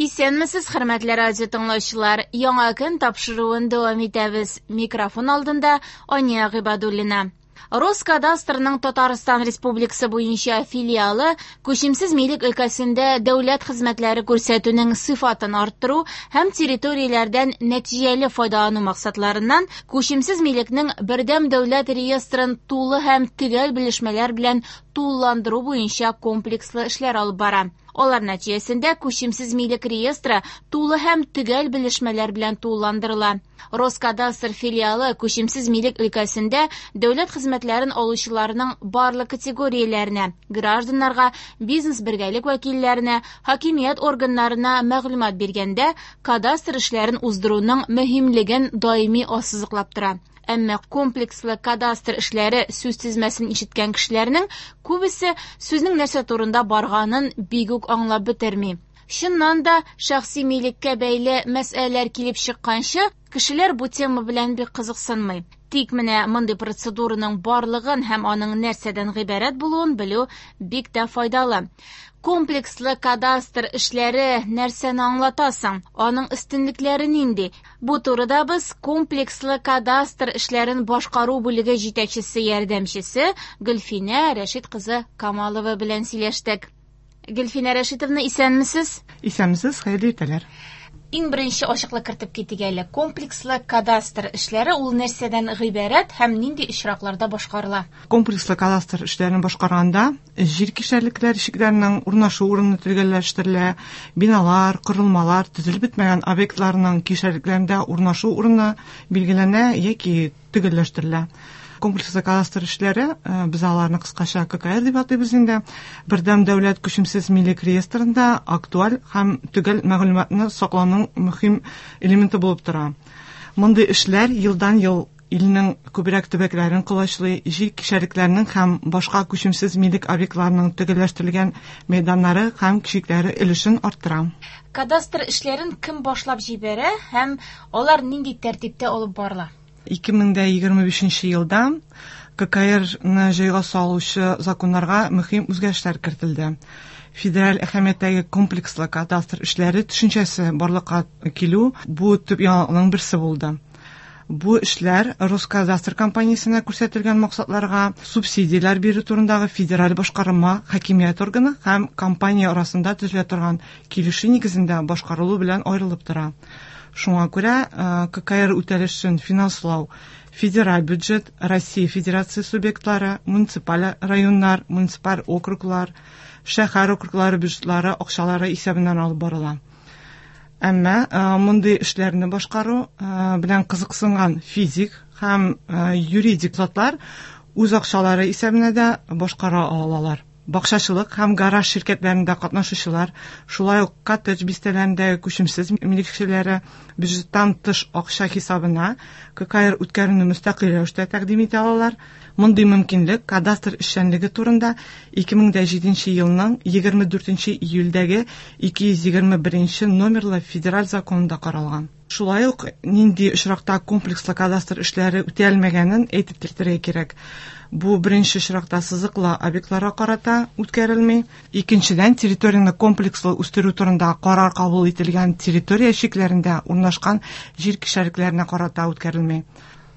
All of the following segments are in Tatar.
Исәнмесез, хөрмәтле радио тыңлаучылар. Яңа көн тапшыруын дәвам итәбез. Микрофон алдында Ания Гыйбадуллина. Роскадастрның Татарстан Республикасы буенча филиалы күчемсез милек өлкәсендә дәүләт хезмәтләре күрсәтүнең сыйфатын арттыру һәм территорияләрдән нәтиҗәле файдалану максатларыннан күчемсез милекнең бердәм дәүләт реестрын тулы һәм төгәл белешмәләр белән тулыландыру буенча комплекслы эшләр алып бара. Алар нәтиҗәсендә күчемсез милек реестры тулы һәм төгәл белешмәләр белән тулыландырыла. Роскадастр филиалы күчемсез милек өлкәсендә дәүләт хезмәтләрен алучыларның барлык категорияләренә, гражданнарга, бизнес-бергәлек вәкилләренә, хакимият органнарына мәгълүмат биргәндә кадастр эшләрен уздыруның мөһимлеген даими ассызыклап тора. Әмма комплекслы кадастр эшләре сүз тезмәсен ишеткән кешеләрнең күбесе сүзнең нәрсә турында барганын бик үк аңлап бетерми. Чыннан да, шәхси милеккә бәйле мәсьәләләр килеп чыкканчы, кешеләр бу тема белән бик кызыксынмый. Тик менә мондый процедураның барлыгын һәм аның нәрсәдән гыйбарәт булуын белү бик тә файдалы. Комплекслы кадастр эшләре нәрсәне аңлата соң? Аның өстенлекләре нинди? Бу турыда без комплекслы кадастр эшләрен башкару бүлеге җитәкчесе ярдәмчесе Гөлфинә Рәшит кызы Камалова белән сөйләштек. Гөлфинә Рәшитовна, исәнмесез? Исәнмесез, хәерле иртәләр. Иң беренче ачыклык кертеп китик әле. Комплекслы кадастр эшләре ул нәрсәдән гыйбарәт һәм нинди очракларда башкарыла? Комплекслы кадастр эшләрен башкарганда җир кишәрлекләр чикләренең урнашу урыны төгәлләштерелә, биналар, корылмалар, төзелеп бетмәгән объектларның кишәрлекләрендә урнашу урыны билгеләнә яки төгәлләштерелә. Комплекслы кадастр эшләре, без аларны кыскача ККР дип атыйбыз инде, бердәм дәүләт күчемсез милек реестрында актуаль һәм төгәл мәгълүматны саклауның мөһим элементы булып тора. Мондый эшләр елдан-ел илнең күбрәк төбәкләрен колачлый, җир кишәрлекләренең һәм башка күчемсез милек объектларының төгәлләштерелгән мәйданнары һәм чикләре өлешен арттыра. Кадастр эшләрен кем башлап җибәрә һәм алар нинди тәртиптә алып барыла? 2025 елда ККРны җайга салучы законнарга мөһим үзгәрешләр кертелде. Федераль әһәмияттәге комплекслы кадастр эшләре төшенчәсе барлыкка килү бу төп яңалыкның берсе булды. Бу эшләр Роскадастр компаниясенә күрсәтелгән максатларга субсидияләр бирү турындагы федераль башкарма хакимият органы һәм компания арасында төзелә торган килешү нигезендә башкарылу белән аерылып тора. Шуңа күрә ККР үтәлешен финанслау федераль бюджет, Россия Федерация субъектлары, муниципаль районнар, муниципаль округлар, шәһәр округлары бюджетлары акчалары исәбеннән алып барыла. Әмма мондый эшләрне башкару белән кызыксынган физик һәм юридик затлар үз акчалары исәбенә дә башкара алалар. Бакчачылык һәм гараж ширкәтләрендә катнашучылар, шулай ук коттедж бистәләрендәге күчемсез милекчеләре бюджеттан тыш акча хисабына ККР үткәрүне мөстәкыйль рәвештә тәкъдим итә алалар. Мондый мөмкинлек кадастр эшчәнлеге турында 2007 елның 24 июльдәге 221 номерлы федераль законында каралган. Шулай ук нинди очракта комплекслы кадастр эшләре үтәлмәгәнен әйтеп китәргә кирәк. Бу беренче очракта сызыклы объектларга карата үткәрелми. Икенчедән, территорияне комплекслы үстерү турында карар кабул ителгән территория чикләрендә урнашкан җир кишәрлекләренә карата үткәрелми.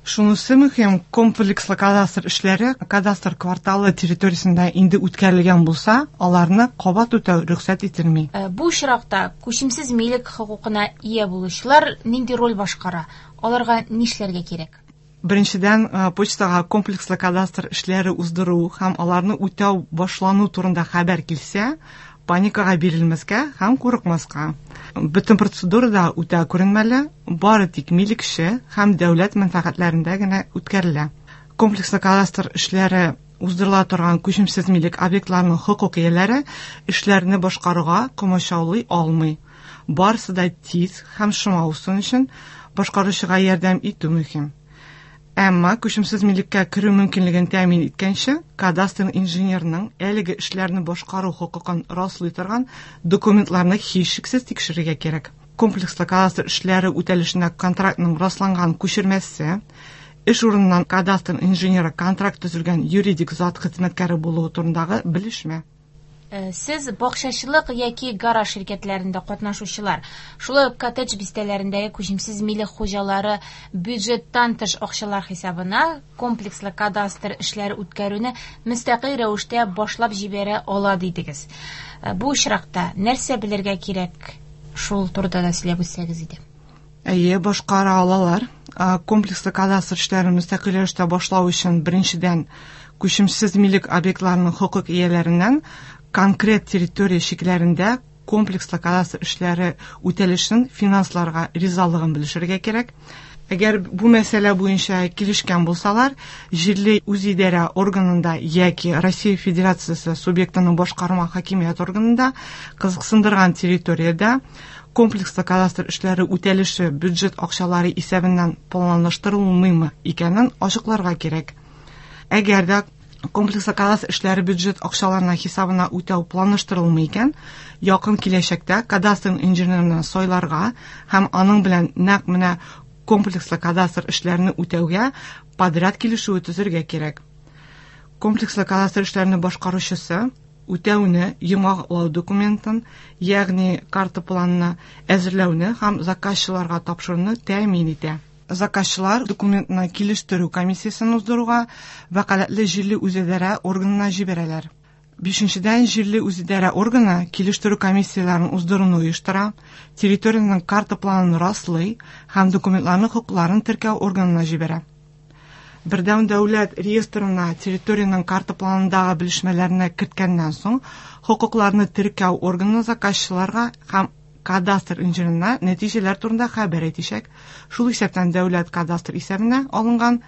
Шунысы мөһим, комплекслы кадастр эшләре кадастр кварталы территориясендә инде үткәрелгән булса, аларны кабат үтәү рөхсәт ителми. Бу очракта күчемсез милек хокукына ия булучылар нинди роль башкара? Аларга нишләргә кирәк? Беренчедән, почтага комплекслы кадастр эшләре уздыру һәм аларны үтәү башлану турында хәбәр килсә, паникага бирелмәскә һәм курыкмаска. Бөтен процедура да үтә күренмәле, бары тик милекче һәм дәүләт мәнфәгатьләрендә генә үткәрелә. Комплекслы кадастр эшләре уздырыла торган күчемсез милек объектларының хокук ияләре эшләрне башкаруга комачаулый алмый. Барысы да тиз һәм шома узсын өчен башкаручыга ярдәм итү мөһим. Әмма күчемсез милеккә керү мөмкинлеген тәэмин иткәнче, кадастр инженерының әлеге эшләрне башкару хокукын раслый торган документларны һичшиксез тикшерергә кирәк. Комплекслы кадастр эшләре үтәлешенә контрактның расланган күчермәсе, эш урыныннан кадастр инженеры контракт төзелгән юридик зат хезмәткәре булуы турындагы белешмә. Сез бакчачылык яки гараж ширкәтләрендә катнашучылар, шулай ук коттедж бистәләрендәге күчемсез милек хуҗалары бюджеттан тыш акчалар хисабына комплекслы кадастр эшләре үткәрүне мөстәкыйль рәвештә башлап җибәрә ала дидегез. Бу очракта нәрсә белергә кирәк? Шул турыда да сөйләп үтсәгез иде. Әйе, башкара алалар. Комплекслы кадастр эшләрен мөстәкыйль рәвештә башлау өчен беренчедән күчемсез милек объектларының хокук ияләреннән конкрет территория чикләрендә комплекслы кадастр эшләре үтәлешен финансларга ризалыгын белешергә кирәк. Әгәр бу мәсьәлә буенча килешкән булсалар, җирле үзидарә органында яки Россия Федерациясе субъектының башкарма хакимият органында кызыксындырган территориядә комплекслы кадастр эшләре үтәлеше бюджет акчалары исәбеннән планлаштырылмыймы икәнен ачыкларга кирәк. Әгәр дә комплекслы кадастр эшләре бюджет акчаларына хисабына үтәү планлаштырылмый икән, якын киләчәктә кадастр инженерын сайларга һәм аның белән нәкъ менә комплекслы кадастр эшләрен үтәүгә подряд килешүе төзергә кирәк. Комплекслы кадастр эшләрен башкаручысы үтәүне йомгаклау документын, ягъни карта планны әзерләүне һәм заказчыларга тапшыруны тәэмин итә. Заказчылар документны килештерү комиссиясен уздыруга вәкаләтле җирле үзидарә органына җибәрәләр. Бишенчедән, җирле үзидарә органы килештерү комиссияләрен уздыруны оештыра, территориянең карта планын раслый һәм документларның хокукларын теркәү органына җибәрә. Бердәм дәүләт реестрына территориянең карта планындагы белешмәләрне керткәннән соң, хокукларны теркәү органы заказчыларга һәм кадастр инженерына нәтиҗәләр турында хәбәр итәчәк. Шул исәптән дәүләт кадастр исәбенә алынган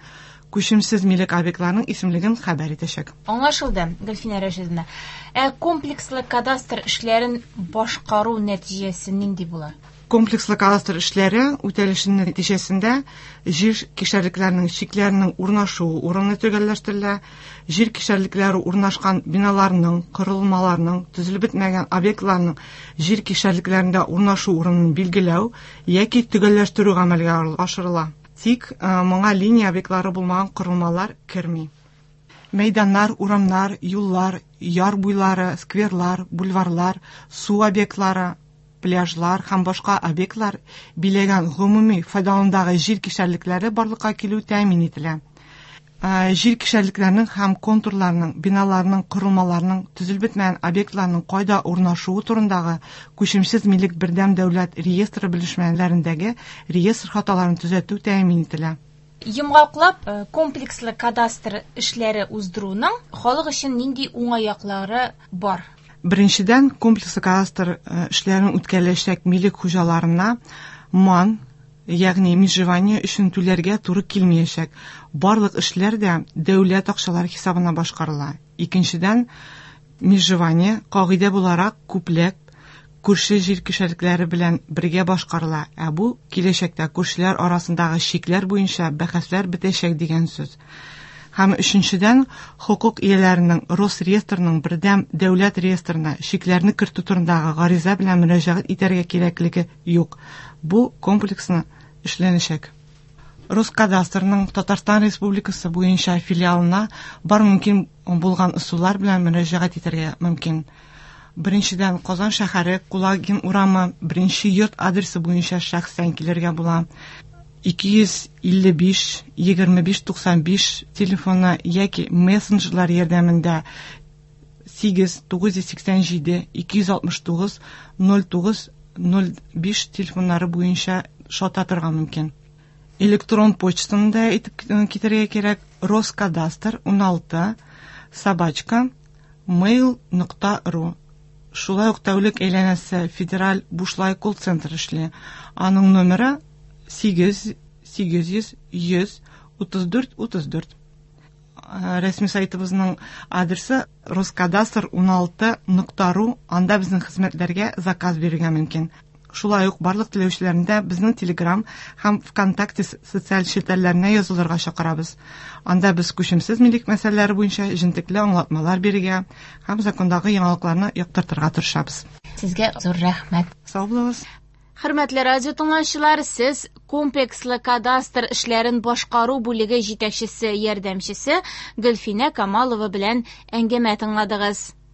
күчемсез милек объектларының исемлеген хәбәр итәчәк. Аңлашылды, Гөлфинә Рәшидовна. Ә комплекслы кадастр эшләрен башкару нәтиҗәсе нинди була? Комплекслы кадастр эшләре үтәлешенең нәтиҗәсендә җир кишәрлекләренең чикләренең урнашуы урыны төгәлләштерелә, җир кишәрлекләре урнашкан биналарның, корылмаларның, төзелеп бетмәгән объектларның җир кишәрлекләрендә урнашу урынын билгеләү яки төгәлләштерү гамәлгә ашырыла. Тик моңа линия объектлары булмаган корылмалар керми. Мәйданнар, урамнар, юллар, яр буйлары, скверлар, бульварлар, су объектлары, пляжлар һәм башка объектлар биләгән гомуми файдаланудагы җир кишәрлекләре барлыкка килү тәэмин ителә. Җир кишәрлекләренең һәм контурларының, биналарның, корылмаларның, төзелеп бетмәгән объектларның кайда урнашуы турындагы күчемсез милек бердәм дәүләт реестры белешмәләрендәге реестр хаталарын төзәтү тәэмин ителә. Йомгаклап, комплекслы кадастр эшләре уздыруның халык өчен нинди уңай яклары бар? Беренчедән, комплекслы кадастр эшләрен үткәреләчәк милек хуҗаларына МАН, ягъни межевание өчен түләргә туры килмәячәк. Барлык эшләр дә дәүләт акчалары хисабына башкарыла. Икенчедән, межевание кагыйдә буларак күпләп күрше җир кишәрлекләре белән бергә башкарыла. Ә бу киләчәктә күршеләр арасындагы чикләр буенча бәхәсләр бетәчәк дигән сүз. Һәм өченчедән, хокук ияләренең Росреестрның бердәм дәүләт реестрына чикләрне кертү турындагы гариза белән мөрәҗәгать итәргә кирәклеге юк. Бу комплекслы эшләнәчәк. Роскадастрның Татарстан Республикасы буенча филиалына бар мөмкин булган ысуллар белән мөрәҗәгать итәргә мөмкин. Беренчедән, Казан шәһәре, Кулагин урамы, беренче йорт адресы буенча шәхсән килергә була. 255 25 95 телефоны яки мессенджерлар ярдәмендә 8 987 269 09 05 телефоннары буенча шалтыратырга мөмкин. Электрон почтаны да әйтеп китәргә кирәк: роскадастр 16 собачка mail.ru. Шулай ук тәүлек әйләнәсе федераль бушлай колл-центр эшли. Аның номеры 8 800 100 34 34. Рәсми сайтыбызның адресы роскадастр 16.ru. Анда безнең хезмәтләргә заказ бирергә мөмкин. Шулай ук барлык теләүчеләрне дә безнең Telegram һәм ВКонтакте социаль челтәрләренә язылырга чакырабыз. Анда без күчемсез милек мәсьәләләре буенча җентекле аңлатмалар бирергә һәм закондагы яңалыкларны яктыртырга тырышабыз. Сезгә зур рәхмәт. Сау булыгыз. Хөрмәтле радио тыңлаучылар, сез комплекслы кадастр эшләрен башкару бүлеге җитәкчесе ярдәмчесе Гөлфинә Камалова белән әңгәмә тыңладыгыз.